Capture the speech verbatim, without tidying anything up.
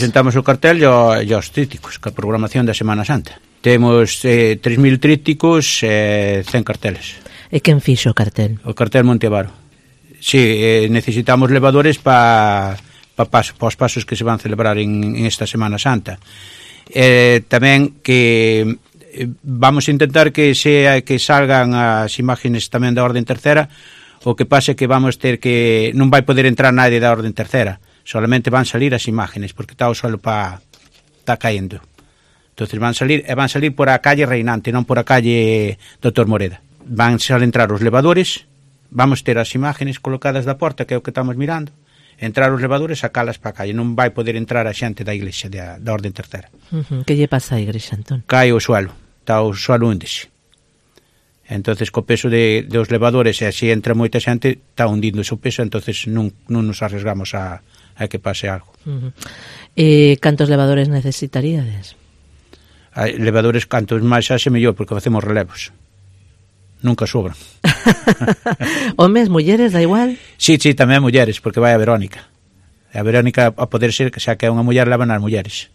Presentamos o cartel e os trípticos, que a programación da Semana Santa. Temos eh, tres mil trípticos e eh, cen carteles. E quen fixo o cartel? O cartel Monteavaro. Sí, eh, necesitamos levadores para pa, pa, pa os pasos que se van celebrar en, en esta Semana Santa. Eh, tamén que eh, vamos a intentar que sea que salgan as imágenes tamén da Orden Tercera. O que pasa é que vamos ter que non vai poder entrar nadie da Orden Tercera. Solamente van salir as imágenes, porque está o suelo pa está caendo. Entonces van salir e van salir por a calle Reinante, non por a calle Doutor Moreda. Van a entrar os levadores, vamos ter as imágenes colocadas da porta, que é o que estamos mirando. Entrar os levadores, sacalas para a calle. Non vai poder entrar a xente da iglesia da, da Orden Tercera. Uh-huh. Que lle pasa á iglesia, Antón? Cae o suelo, está o suelo húndese. Entonces co peso de, de os levadores, e así entra moita xente, está hundindo ese peso, entonces non, non nos arriesgamos a a que pase algo. Uh-huh. E cantos levadores necesitaríades? Hai levadores cantos máis haxe mellor, porque facemos relevos. Nunca sobran. Homes, mulleres, da igual? Sí, sí, tamén mulleres, porque vai a Verónica. A Verónica, a poder ser, que xa que é unha muller, levan as mulleres.